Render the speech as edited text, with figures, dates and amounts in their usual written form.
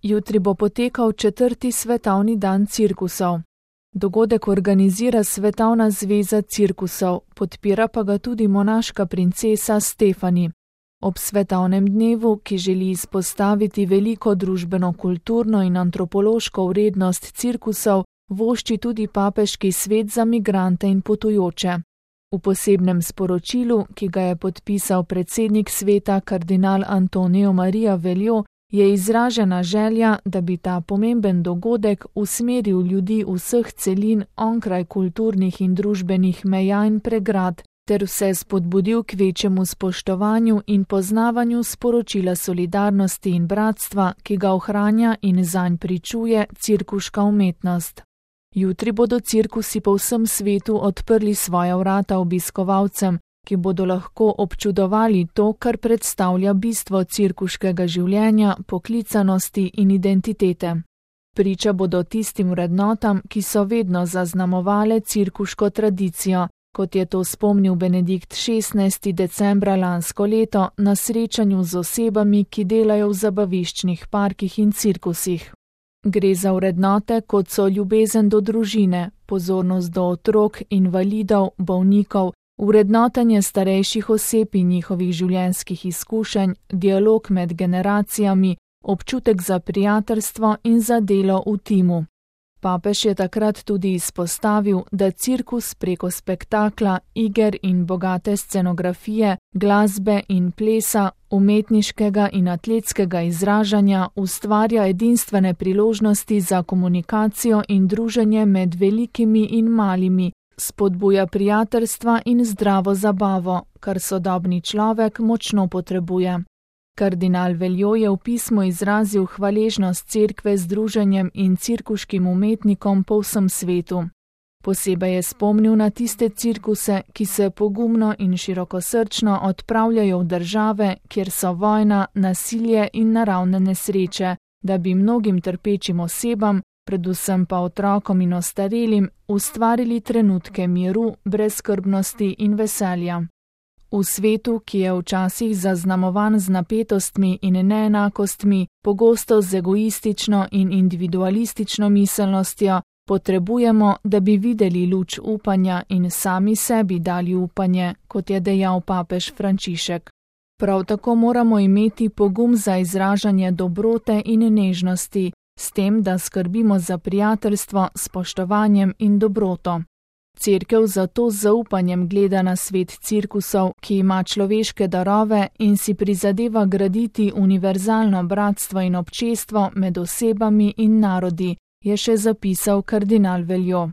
Jutri bo potekal 4. svetovni dan cirkusov. Dogodek organizira Svetovna zveza cirkusov, podpira pa ga tudi monaška princesa Stefani. Ob svetovnem dnevu, ki želi izpostaviti veliko družbeno, kulturno in antropološko vrednost cirkusov, vošči tudi papeški svet za migrante in potujoče. V posebnem sporočilu, ki ga je podpisal predsednik sveta kardinal Antonio Maria Veljo, je izražena želja, da bi ta pomemben dogodek usmeril ljudi vseh celin onkraj kulturnih in družbenih meja in pregrad, ter vse spodbudil k večjemu spoštovanju in poznavanju sporočila solidarnosti in bratstva, ki ga ohranja in zanj pričuje cirkuška umetnost. Jutri bodo cirkusi po vsem svetu odprli svoja vrata obiskovalcem, ki bodo lahko občudovali to, kar predstavlja bistvo cirkuškega življenja, poklicanosti in identitete. Priča bodo tistim vrednotam, ki so vedno zaznamovale cirkuško tradicijo, kot je to spomnil Benedikt XVI. Decembra lansko leto na srečanju z osebami, ki delajo v zabaviščnih parkih in cirkusih. Gre za vrednote, kot so ljubezen do družine, pozornost do otrok, invalidov, bolnikov, vrednotenje starejših oseb in njihovih življenjskih izkušenj, dialog med generacijami, občutek za prijateljstvo in za delo v timu. Papež je takrat tudi izpostavil, da cirkus preko spektakla, iger in bogate scenografije, glasbe in plesa, umetniškega in atletskega izražanja ustvarja edinstvene priložnosti za komunikacijo in druženje med velikimi in malimi, spodbuja prijateljstva in zdravo zabavo, kar sodobni človek močno potrebuje. Kardinal Veljo je v pismu izrazil hvaležnost cerkve združenjem in cirkuškim umetnikom po vsem svetu. Posebej je spomnil na tiste cirkuse, ki se pogumno in širokosrčno odpravljajo v države, kjer so vojna, nasilje in naravne nesreče, da bi mnogim trpečim osebam, predvsem pa otrokom in ostarelim, ustvarili trenutke miru, brezskrbnosti in veselja. V svetu, ki je včasih zaznamovan z napetostmi in neenakostmi, pogosto z egoistično in individualistično miselnostjo, potrebujemo, da bi videli luč upanja in sami sebi dali upanje, kot je dejal papež Frančišek. Prav tako moramo imeti pogum za izražanje dobrote in nežnosti, s tem, da skrbimo za prijateljstvo, spoštovanjem in dobroto. Cerkev zato z zaupanjem gleda na svet cirkusov, ki ima človeške darove in si prizadeva graditi univerzalno bratstvo in občestvo med osebami in narodi, je še zapisal kardinal Veljo.